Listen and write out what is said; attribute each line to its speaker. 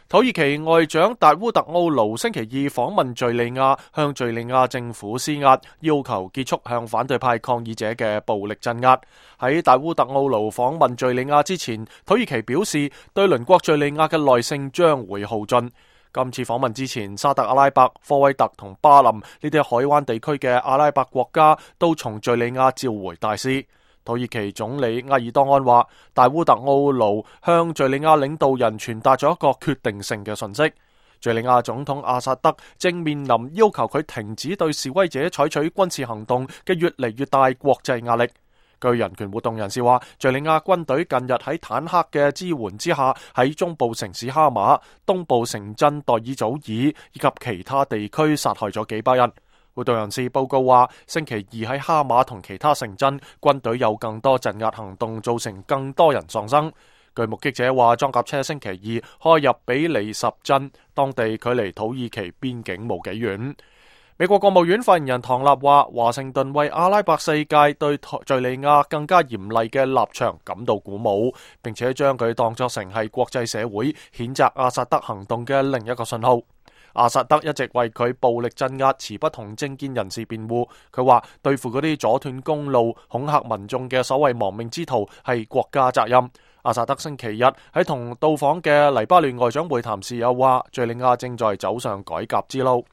Speaker 1: 土耳其外長達烏特奧盧星期二訪問敘利亞，向敘利亞政府施壓，要求結束向反對派抗議者嘅暴力鎮壓。喺達烏特奧盧訪問敘利亞之前，土耳其表示對鄰國敘利亞嘅耐性將會耗盡。今次訪問之前，沙特阿拉伯、科威特同巴林呢啲海灣地區嘅阿拉伯國家都從敘利亞召回大使。土耳其總理埃爾多安話，達烏特奧盧向敘利亞領導人傳達咗一個決定性嘅訊息。敘利亞總統阿薩德正面臨要求佢停止對示威者採取軍事行動嘅越嚟越大國際壓力。據人權活動人士話，敘利亞軍隊近日喺坦克嘅支援之下，喺中部城市哈馬、東部城鎮代爾祖爾以及其他地區殺害咗幾百人。活動人士報告話，星期二喺哈馬同其他城鎮，軍隊有更多鎮壓行動，造成更多人喪生。據目擊者話，裝甲車星期二開入比利什鎮，當地距離土耳其邊境冇幾遠。美國國務院發言人唐納話，華盛頓為阿拉伯世界對敘利亞更加嚴厲嘅立場感到鼓舞，並且將佢當作成係國際社會譴責阿薩德行動嘅另一個信號。阿薩德一直為佢暴力鎮壓持不同政見人士辯護，佢話對付嗰啲阻斷公路、恐嚇民眾嘅所謂亡命之徒係國家責任。阿薩德星期日喺同到訪嘅黎巴嫩外長會談時又話，敘利亞正在走上改革之路。